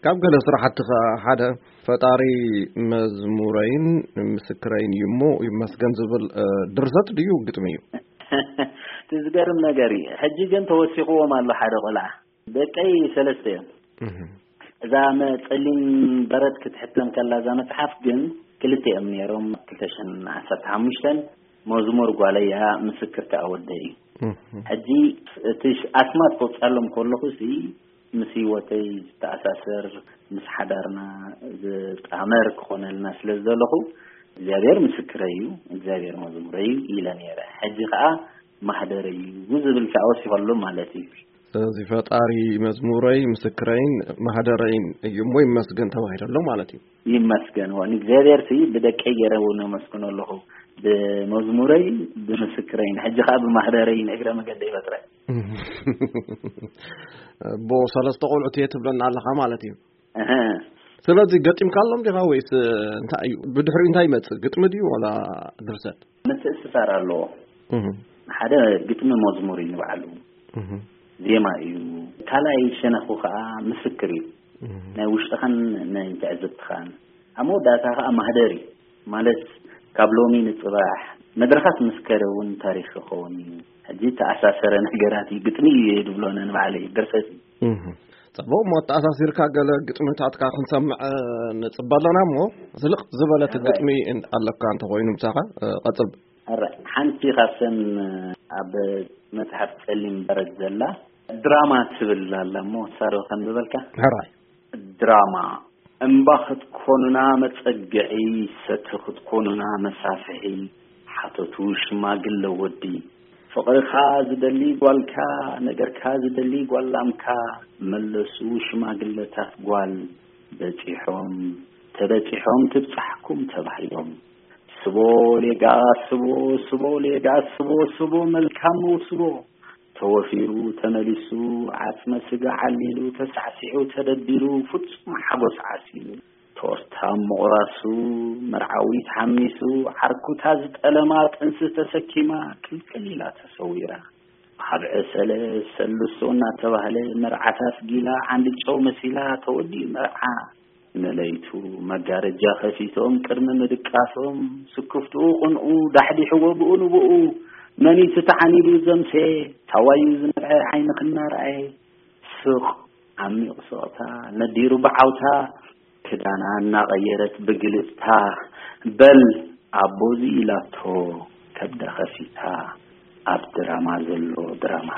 ካብ ገለ ስራሕቲ ኸዓ ሓደ ፈጣሪ መዝሙረይን ምስክረይን እዩ እሞ ይመስገን ዝብል፣ እ፣ ድርሰት ድዩ ግጥሚ እዩ? እቲ ዝገርም ነገር እዩ። ሕጂ ግን ተወሲኽዎም ኣሎ ሓደ ቆልዓ። ደቀይ ሰለስተ እዮም። እህ። እዛ መ-፣ ጸሊም በረድ ክትሕተም ከላ እዛ መጽሓፍ ግን ክልተ እዮም ነይሮም። ክልተ ሽሕን ዓሰርተ ሓሙሽተን መዝሙር ጓለይ እያ፣ ምስክር ከኣ ወደይ እዩ። እህ። ሕጂ እቲ ሽ-፣ ኣስማት ከውጻሎም ከለኹ ሲ ምስ ህይወተይ ዝተኣሳሰር፣ ምስ ሓዳርና ዝጣመር ክኾነልና ስለ ዝደለኹ፣ እግዚኣብሔር ምስክረይ እዩ፣ እግዚኣብሔር መዝሙረይ እዩ ኢለ ነይረ። ሕጂ ኸኣ ማህደረይ እዩ ዝብል ከኣ ወሲኸሉ ማለት እዩ። ስለዚ ፈጣሪ መዝሙረይ፣ ምስክረይን ማህደረይን እዩ እሞ ይመስገን ተባሂሉ ኣሎ ማለት እዩ። ይመስገን። ዋ፣ ንእግዚኣብሔር ሲ ብደቀይ ገይረ እውን ኣመስግኖ ኣለኹ። ብመዝሙረይ፣ ብምስክረይን፣ ሕጂ ኸኣ ብማህደረይን እግረ መገደይ በጥረ። እቦ ሰለስተ ቆልዑት እየ ትብለና ኣለኻ ማለት እዩ። እህ። ስለዚ ገጢምካሎም ዲኻ ወይስ እንታይ እዩ? ብድሕሪኡ እንታይ ይመጽእ? ግጥሚ ድዩ ዋላ ድርሰት? ምትእስሳር ኣለዎ። እህ። ሓደ ግጥሚ መዝሙር እዩ ንባዕሉ። እህ። ዜማ እዩ። ካልኣይ ሸነኹ ኸኣ ምስክር እዩ። እህ። ናይ ውሽጥኻን ናይ ትዕዝብትኻን። ኣብ መወዳእታ ኸኣ ማህደር እዩ። ማለት ካብ ሎሚ ንጽባሕ መድረኻት ምስ ከደ እውን ታሪኽ ክኸውን እዩ። ሕጂ ተኣሳሰረ ነገራት እዩ። ግጥሚ እዩ ድብሎ ነንባዕለይ ድርሰት እዩ። እህ። ጽቡቕ፣ እሞ ኣተኣሳሲርካ ገለ ግጥምታትካ ክንሰምዕ፣ እ፣ ንጽበ ኣለና እሞ ዝልቕ ዝበለት እህ። ግጥሚ እን-፣ ኣለካ እንተኾይኑ ምሳኻ፣ እ፣ ቀጽል። ኣረ፣ ሓንቲ ካብተን ኣብ መጽሓፍ ጸሊም በረድ ዘላ ድራማ ትብል ኣላ እሞ፣ ሳዶ ከንብበልካ? ሕራይ። ድራማ። እምባ ክትኮኑና መጸግዒ፣ ሰቲ ክትኮኑና መሳፍሒ፣ ሓተቱ ሽማግለ ወዲ። ፍቕርኻ ዝደሊ ጓልካ፣ ነገርካ ዝደሊ ጓል ላምካ፣ መለሱ ሽማግለታት ጓል። በጺሖም፣ ተበጺሖም ትብጻሕኩም ተባሂሎም። ስቦ ሌጋ ስቦ፣ ስቦ ሌጋ ስቦ፣ ስቦ መልካም ስቦ። ተወፊሩ ተመሊሱ፣ ዓጽመ ስጋ ዓሊሉ፣ ተሳዕሲዑ ተደቢሩ፣ ፍጹም ሓጎስ ዓሲሉ። ቶርታ ምቑራሱ፣ መርዓዊ ተሓሚሱ፣ ዓርኩታ ዝጠለማ ጥንሲ ተሰኪማ፣ ቅልቅል ኢላ ተሰዊራ። ኣብ ዕሰለ ሰልሶ እናተባህለ፣ መርዓታት ጊላ፣ ዓንዲ ጨው መሲላ፣ ተወዲኡ መርዓ። ንለይቱ መጋረጃ ከፊቶም ቅድሚ ምድቃሶም፣ ስክፍትኡ ቁንኡ ዳሕዲሕዎ ብኡ ንብኡ፣ መኒቱ ተዓኒዱ ዘምሴ፣ ታዋዩ ዝነብዐ ዓይንኺ እናረኣየ፣ ስቕ ዓሚቕ ስቕታ ነዲሩ ብዓውታ፣ ክዳና እናቐየረት ብግልጽታ፣ በል ኣቦዚ ኢላቶ ከብዳ ከፊታ፣ ኣብ ድራማ ዘሎ ድራማ።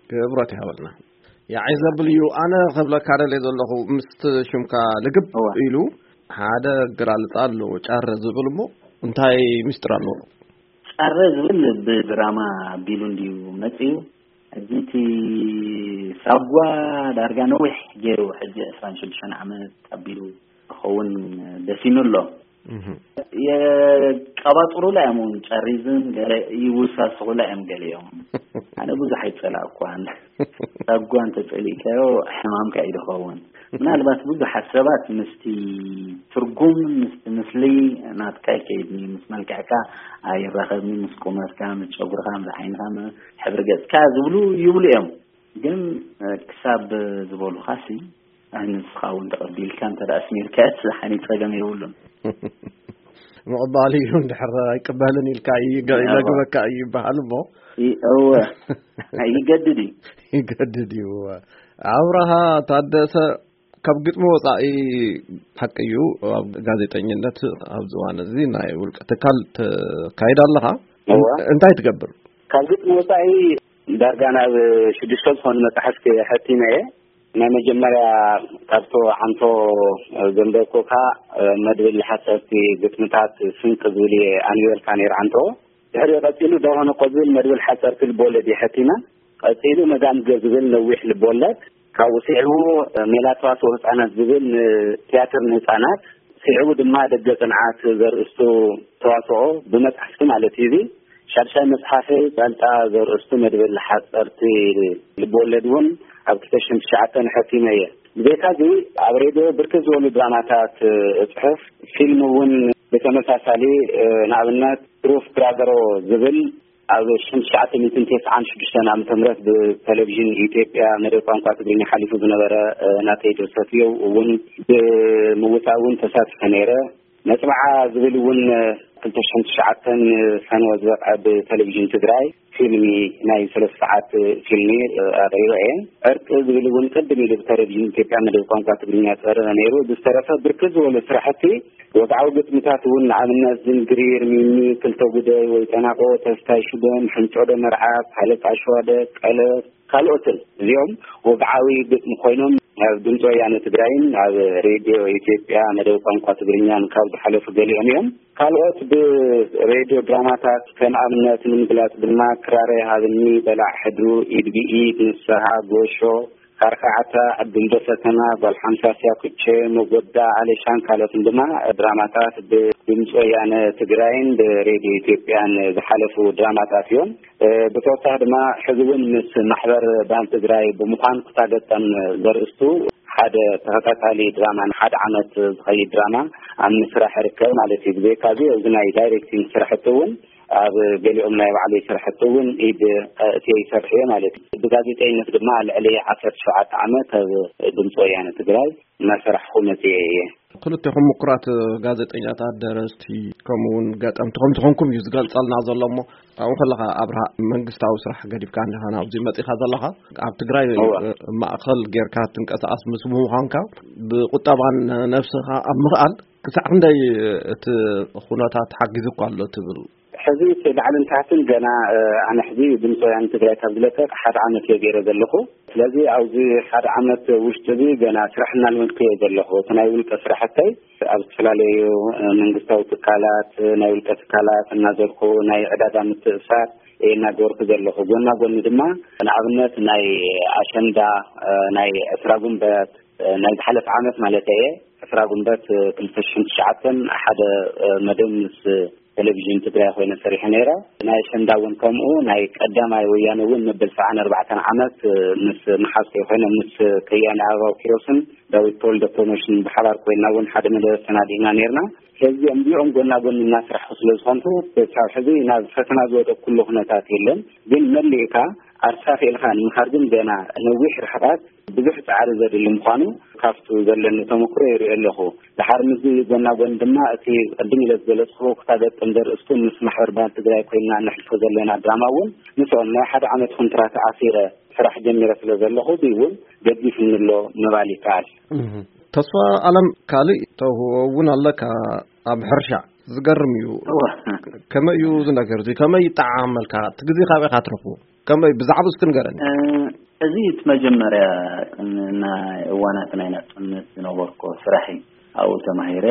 ክብረት ይሃበልና። ያዒ ዘብል እዩ። ኣነ ክብለካ ደልየ ዘለኹ፣ ምስቲ ሽምካ ልግብ እወ። ኢሉ ሓደ ኣገላልጻ ኣለዎ፣ ጫረ ዝብል እሞ እንታይ ምስጢር ኣለዎ? ጫረ ዝብል ብድራማ ኣቢሉ እንድዩ መጺኡ። ሕጂ እቲ ሳጓ ዳርጋ ነዊሕ ገይሩ፣ ሕጂ ዕስራን ሽዱሽተን ዓመት ኣቢሉ ክኸውን ደሲኑ ኣሎ። እህ። የቀባጥሩላ እዮም እውን፣ ጨሪዝን ገለ ይውሳስኹላ እዮም ገሊኦም። ኣነ ብዙሕ ኣይጸላእኳን። ሳጓ እንተጸሊእካዮ ሕማምካ እዩ ዝኸውን። ምናልባት ብዙሓት ሰባት ምስቲ ትርጉም፣ ምስቲ ምስሊ ናትካ ኣይከይድን እዩ፣ ምስ መልክዕካ ኣይራኸብን እዩ፣ ምስ ቁመትካ፣ ምስ ጨጉርኻ፣ ምስ ዓይንኻ፣ ም-፣ ሕብሪ ገጽካ ዝብሉ ይብሉ እዮም። ግን፣ እ፣ ክሳብ ዝበሉኻሲ፣ ኣይ፣ ንስኻ እውን ተቐቢልካ እንተ ደኣ ኣስሚርካዮስ፣ ሓኒ ጸገም የብሉን። ምቕባል እዩ፣ እንድሕር ኣይቅበልን ኢልካ እዩ፣ ገ-፣ እወ። ይመግበካ እዩ ይበሃል እሞ። ይ-፣ እወ። ይገድድ እዩ። ይገድድ እዩ፣ እወ። ኣብርሃ ታደሰ፣ ካብ ግጥሚ ወጻኢ፣ ሓቂ እዩ፣ ኣብ ጋዜጠኝነት ኣብዚ እዋን እዚ ናይ ውልቀ ትካል ተካይድ ኣለኻ። እወ። እንታይ ትገብር? ካብ ግጥሚ ወጻኢ ዳርጋ ናብ ሽዱሽተ ዝኾኑ መጻሕፍቲ ሐቲመ እየ። ናይ መጀመርያ ካብቶ ዓንቶ ዘንበብኩካ መድብል ሓፀርቲ ግጥምታት ስንቂ ዝብል እየ ኣንቢበልካ ነይረ ዓንቶ። ድሕሪኡ ቀፂሉ ደርሆ ነቆ ዝብል መድብል ሓፀርቲ ልቦለድ እየ ሐቲመ። ቀፂሉ መጋምገ ዝብል ነዊሕ ልቦለድ፣ ካብኡ ስዒቡ ሜላ ተዋስኦ ህፃናት ዝብል ንትያትር ንህፃናት፣ ስዒቡ ድማ ደገ ፅንዓት ዘርእስቱ ተዋስኦ ብመፅሓፍቲ ማለት እዩ። እዚ ሻድሻይ መፅሓፈይ ፃልጣ ዘርእስቱ መድብል ሓፀርቲ ልብወለድ እውን ኣብ ክልተ ሽሕን ትሽዓተን ሐቲመ እየ። ብዘይካ እዚ ኣብ ሬድዮ ብርክት ዝበሉ ድራማታት እፅሕፍ፣ ፊልም እውን ብተመሳሳሊ፣ ንኣብነት ትሩፍ ብራዘሮ ዝብል ኣብ ሽሕን ትሽዓተ ሚእትን ተስዓን ሽዱሽተን ዓመተ ምህረት ብቴሌቪዥን ኢትዮጵያ መደብ ቋንቋ ትግርኛ ሓሊፉ ዝነበረ፣ እ፣ ናተይ ድርሰት እዩ። እውን ብምውጻእ እውን ተሳቲፈ ነይረ። መጽብዓ ዝብል እውን፣ እ፣ ክልተ ሽሕን ትሽዓተን ሰነ ዝበቕዐ ብቴሌቪዥን ትግራይ ፊልሚ፣ ናይ ሰለስተ ሰዓት ፊልሚ፣ እ፣ ኣቕሪበ እየ። ዕርቂ ዝብል እውን ቅድም ኢሉ ብቴሌቪዥን ኢትዮጵያ መደብ ቋንቋ ትግርኛ ዝቐረበ ነይሩ። ብዝተረፈ ብርክት ዝበሉ ስራሕቲ ወግዓዊ ግጥምታት እውን፣ ንኣብነት ዝንግሪር፣ ሚሚ፣ ክልተ ጉደይ፣ ወይ ጠናቆ፣ ተስታይ ሽደን፣ ሕንጮዶ መርዓብ፣ ሃለቃ ሸዋደ፣ ቀለበት፣ ካልኦትን፣ እዚኦም ወግዓዊ ግጥሚ ኮይኖም ኣብ ድምፂ ወያነ ትግራይን ኣብ ሬድዮ ኢትዮጵያ መደብ ቋንቋ ትግርኛን ካብ ዝሓለፉ ገሊኦም እዮም። ካልኦት ብሬድዮ ድራማታት፣ ከም ኣብነት ንምግላፅ ድማ፣ ክራረይ ሃብኒ፣ በላዕ ሕድሩ፣ ኢድ ብኢድ፣ ንስሃ፣ ጎሾ፣ ካርካዓታ፣ ዕድል ደሰተና፣ ጓል ሓምሳ፣ ሲያኩቼ፣ መጎዳ፣ ኣሌሻን ካልኦትን ድማ ድራማታት ብድምፂ ወያነ ትግራይን ብሬድዮ ኢትዮጵያን ዝሓለፉ ድራማታት እዮም። እ፣ ብተወሳኺ ድማ ሕዚ እውን ምስ ማሕበር ባህሊ ትግራይ ብምዃን ኩታ ገጠም ዘርእስቱ ሓደ ተኸታታሊ ድራማ፣ ንሓደ ዓመት ዝኸይድ ድራማ ኣብ ምስራሕ ይርከብ ማለት እዩ። ብዘይካዚ እዚ ናይ ዳይሬክቲንግ ስራሕቲ እውን ኣብ ገሊኦም ናይ ባዕለይ ስራሕቲ እውን ኢድ፣ እ፣ እትየ ይሰርሕ እየ ማለት እዩ። ብጋዜጠኝነት ድማ ልዕሊ ዓሰርተ ሸውዓተ ዓመት ኣብ ድምፂ ወያነ ትግራይ እናሰራሕኹ መፅየ እየ። ክልቴኹም ምኩራት ጋዜጠኛታት፣ ደረስቲ፣ ከምኡ እውን ገጠምቲ ከም ዝኾንኩም እዩ ዝገልጸልና ዘሎ። እሞ ኣብኡ ከለኻ ኣብርሃ፣ መንግስታዊ ስራሕ ገዲፍካ እንዲኻ ናብዚ መጺኻ ዘለኻ? ኣብ ትግራይ እወ። ማእኸል ጌርካ ትንቀሳቐስ ምስ ምዃንካ፣ ብቁጠባን ነብስኻ ኣብ ምኽኣል ክሳዕ ክንደይ እቲ ኩነታት ሓጊዙ እኳ ኣሎ ትብል? ሕዚ እቲ ላዕልን ታሕትን ገና፣ እ፣ ኣነ ሕዚ ድምፂ ወያነ ትግራይ ካብ ዝለቀቅ ሓደ ዓመት እየ ገይረ ዘለኹ። ስለዚ ኣብዚ ሓደ ዓመት ውሽጢ እዚ ገና ስራሕ እናልመድኩ እየ ዘለኹ። እቲ ናይ ውልቀ ስራሕተይ ኣብ ዝተፈላለዩ፣ እ፣ መንግስታዊ ትካላት፣ እ፣ ናይ ውልቀ ትካላት እናዘርኩ ናይ ዕዳጋ ምትእስሳር እየ እናገበርኩ ዘለኹ። ጎና ጎኒ ድማ ንኣብነት ናይ ኣሸንዳ፣ እ፣ ናይ ዕስራ ጉንበት፣ እ፣ ናይ ዝሓለፈ ዓመት ማለት እየ፣ ዕስራ ጉንበት፣ እ፣ ክልተ ሽሕን ትሽዓተን ሓደ፣ እ፣ መደብ ምስ ቴሌቪዥን ትግራይ ኮይነ ሰሪሐ ነይረ። ናይ ኣሸንዳ እውን ከምኡ፣ ናይ ቀዳማይ ወያነ እውን መበል ሰብዓን ኣርባዕተን ዓመት፣ እ፣ ምስ መሓዝተይ ኮይነ፣ ምስ ከያኒ ኣበባው ኪሮስን ዳዊት ተወልደ ፕሮሞሽን ብሓባር ኮይና እውን ሓደ መደብ ኣሰናዲእና ነይርና። ስለዚ እዚኦም ጎና ጎኒ እናስራሕኩ ስለ ዝኾንኩ፣ ክሳብ ሕዚ ናብ ፈተና ዝወደቅኩሉ ኩነታት የለን። ግን መሊእካ ዓርሳ ክኢልካ ንምኻድ ግን ገና ነዊሕ ርሕቀት፣ ብዙሕ ጻዕሪ ዘድሊ ምዃኑ ካብቱ ዘለኒ ተመክሮ ይርኢ ኣለኹ። ድሓር ምስዚ ጎና ጎን ድማ እቲ ቅድም ኢለ ዝገለጽኩዎ ኩታ ገጠም ዘርእስቱ ምስ ማሕበር ባህሊ ትግራይ ኮይና ነሕልፎ ዘለና ድራማ እውን ምስኦም ናይ ሓደ ዓመት ኮንትራት ኣሲረ ስራሕ ጀሚረ ስለ ዘለኹ፣ እዚ እውን ገዲፍኒ ኣሎ ምባል ይከኣል። እህ። ተስፋ ኣለም፣ ካልእ ተውህቦ እውን ኣለካ ኣብ ሕርሻ። ዝገርም እዩ። እወ። ከመይ እዩ እዚ ነገር እዚ? ከመይ ይጠዓመልካ? እቲ ግዜ ካበይ ኢኻ ትረኽቦ? ከመይ፣ ብዛዕባ እስኪ ንገረኒ። እ፣ እዚ እቲ መጀመርያ ቅን-፣ ናይ እዋናት ናይ ናጽነት ዝነበርኮ ስራሕ እዩ። ኣብኡ ተማሂረ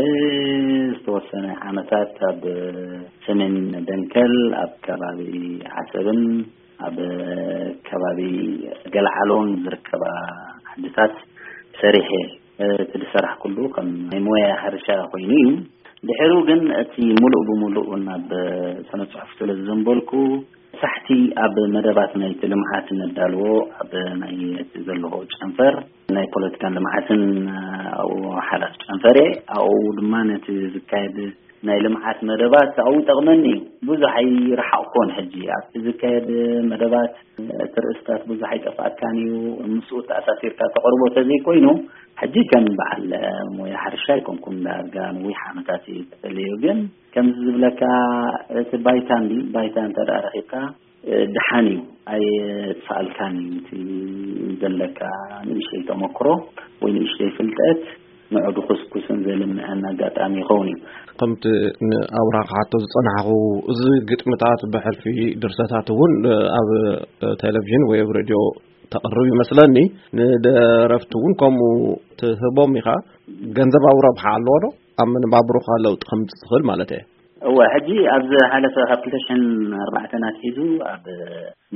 ዝተወሰነ ዓመታት ኣብ ሰሜን ደንከል፣ ኣብ ከባቢ ዓሰብን ኣብ ከባቢ ገልዓሎን ዝርከባ ዓድታት ሰሪሐ። እቲ ዝሰራሕኩሉ ከም ናይ ሞያ ሕርሻ ኮይኑ እዩ። ድሕሩ ግን እቲ ሙሉእ ብሙሉእ ናብ ስነ ጽሑፍ ስለ ዝዘንበልኩ፣ ሳሕቲ ኣብ መደባት ናይቲ ልምዓት ነዳልዎ፣ ኣብ ናይ እቲ ዘለዎ ጨንፈር ናይ ፖለቲካን ልምዓትን ኣብኡ ሓላፍ ጨንፈር እየ። ኣብኡ ድማ ነቲ ዝካየድ ናይ ልምዓት መደባት ኣብኡ ይጠቕመኒ እዩ። ብዙሕ ኣይረሓቕኩን። ሕጂ ኣብቲ ዝካየድ መደባት እቲ ርእስታት ብዙሕ ኣይጠፍኣካን እዩ። ምስኡ ተኣሳሲርካ ተቕርቦ ተዘይኮይኑ፣ ሕጂ ከም በዓል ሞያ ሕርሻ ኣይኮንኩን። ዳርጋ ነዊሕ ዓመታት እዩ ተፈለዩ። ግን ከምዚ ዝብለካ፣ እቲ ባይታ እንዲ፣ ባይታ እንተ ደኣ ረኺብካ፣ እ፣ ደሓን እዩ። ኣየጥፍኣልካን እዩ። እቲ ዘለካ ንእሽተይ ተመክሮ ወይ ንእሽተይ ፍልጠት ንዑ ድኹስኩስን ዘልምዐን ኣጋጣሚ ይኸውን እዩ። ከምቲ ንኣብርሃ ክሓቶ ዝጸናሕኹ፣ እዚ ግጥምታት ብሕልፊ ድርሰታት እውን ኣብ ቴሌቪዥን ወይ ኣብ ሬድዮ ተቕርብ ይመስለኒ። ንደረፍቲ እውን ከምኡ ትህቦም ኢኻ። ገንዘባዊ ረብሓ ኣለዎ ዶ? ኣብ መነባብሮኻ ለውጢ ከምጽእ ዝኽእል ማለት እየ። እወ፣ ሕጂ ኣብ ዝሓለፈ ካብ ክልተ ሽሕን ኣርባዕተን ኣትሒዙ ኣብ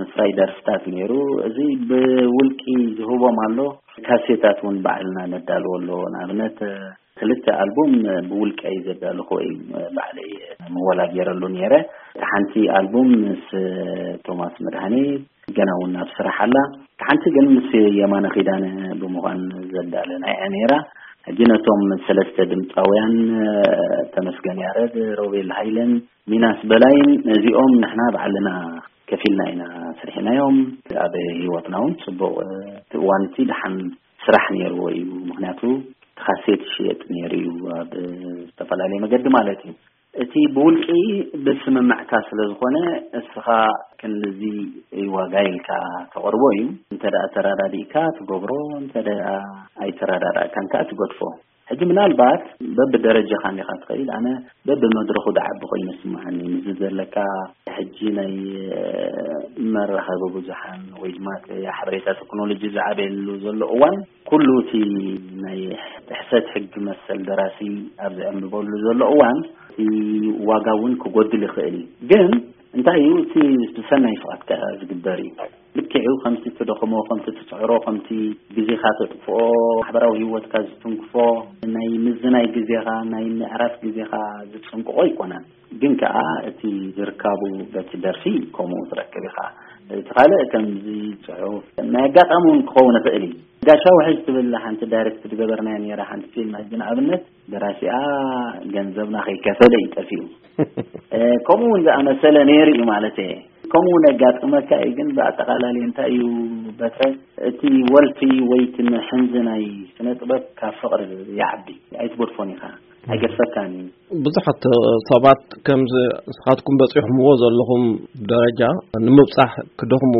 ምፍራይ ደርፍታት ነይሩ። እዚ ብውልቂ ዝህቦም ኣሎ። ካሴታት እውን ባዕልና ነዳልዎ ኣሎ። ንኣብነት፣ ክልተ ኣልቡም ብውልቀይ ዘዳለኹ እዩ፣ ባዕለይ ምወላ ገይረሉ ነይረ። ሓንቲ ኣልቡም ምስ ቶማስ መድሃኔ ገና እውን ኣብ ስራሕ ኣላ። ሓንቲ ግን ምስ የማነ ኪዳነ ብምዃን ዘዳለና እያ ነይራ። ሕጂ ነቶም ሰለስተ ድምፃውያን፣ ተመስገን ያረድ፣ ሮቤል ሃይለን ሚናስ በላይን፣ ነዚኦም ንሕና ባዕልና ከፊልና ኢና ስርሒናዮም። ኣብ ህይወትና እውን ፅቡቕ እቲ እዋን እቲ ደሓን ስራሕ ነይርዎ እዩ። ምክንያቱ እቲ ካሴት ይሽየጥ ነይሩ እዩ ኣብ ዝተፈላለየ መገዲ ማለት እዩ። እቲ ብውልቂ ብስምምዕካ ስለ ዝኾነ እስኻ ክንዚ ዋጋ ኢልካ ተቕርቦ እዩ። እንተ ደኣ ተረዳዲእካ ትገብሮ፣ እንተ ደኣ ኣይተረዳዳእካን ከኣ ትገድፎ። ሕጂ ምናልባት በብደረጃኻ እንዲኻ ትኸይድ። ኣነ በብመድረኹ ዝዓቢ ኮይኑ ይስምዓኒ። ምስዚ ዘለካ ሕጂ ናይ መራኸቢ ብዙሓን ወይ ድማ ሓበሬታ ቴክኖሎጂ ዝዓበየሉ ዘሎ እዋን፣ ኩሉ እቲ ናይ ጥሕሰት ሕጊ መሰል ደራሲ ኣብ ዝዕንብበሉ ዘሎ እዋን፣ እቲ ዋጋ እውን ክጎድል ይኽእል እዩ። ግን እንታይ እዩ እቲ ብሰናይ ፍቓድ ከ ዝግበር እዩ። ልክዕ እዩ፣ ከምቲ ትደኽሞ፣ ከምቲ ትፅዕሮ፣ ከምቲ ግዜኻ ተጥፍኦ፣ ማሕበራዊ ህይወትካ ዝትንክፎ፣ ናይ ምዝናይ ግዜኻ፣ ናይ ምዕራፍ ግዜኻ ዝፅንቅቆ ኣይኮነን። ግን ከኣ እቲ ዝርካቡ በቲ ደርፊ ከምኡ ትረክብ ኢኻ። እቲ ካልእ ከምዚ ጽሑፍ ናይ ኣጋጣሚ እውን ክኸውን ይኽእል እዩ። ጋሻ ውሕጅ ትብል ሓንቲ ዳይሬክት ዝገበርናያ ነይራ ሓንቲ ፊልም፣ ሕጂ ንኣብነት ደራሲኣ ገንዘብና ከይከፈለ እዩ ጠፊኡ። እ፣ ከምኡ እውን ዝኣመሰለ ነይሩ እዩ ማለት እየ። ከምኡ እውን የጋጥመካ እዩ። ግን ብኣጠቓላሊ እንታይ እዩ በትረ፣ እቲ ወልፊ ወይ እቲ ምሕንዚ ናይ ስነ ጥበብ ካብ ፍቕሪ ይዓቢ፣ ኣይትገድፎን ኢኻ፣ ኣይገድፈካን እዩ። ብዙሓት ሰባት ከምዚ ንስኻትኩም በፂሕኩምዎ ዘለኹም ደረጃ ንምብፃሕ ክደኽሙ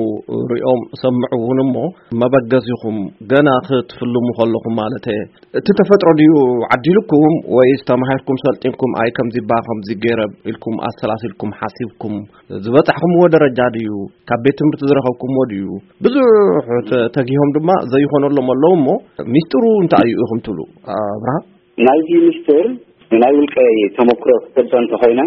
ሪኦም ሰምዑ እውን እሞ መበገሲኹም ገና ክትፍልሙ ከለኹም ማለት እየ። እቲ ተፈጥሮ ድዩ ዓዲልኩም ወይስ ተማሂርኩም ሰልጢንኩም ኣይ ከምዚ ባ ከምዚ ገይረ ኢልኩም ኣሰላሲልኩም ሓሲብኩም ዝበፃሕኩምዎ ደረጃ ድዩ? ካብ ቤት ትምህርቲ ዝረኸብኩምዎ ድዩ? ብዙሕ ተ-፣ ተጊሆም ድማ ዘይኾነሎም ኣለዉ እሞ ሚስጥሩ እንታይ እዩ ኢኹም ትብሉ? ኣብርሃ? ናይዚ ሚስጥር ናይ ውልቀ ተመክሮ ክገልጾ እንተኾይነ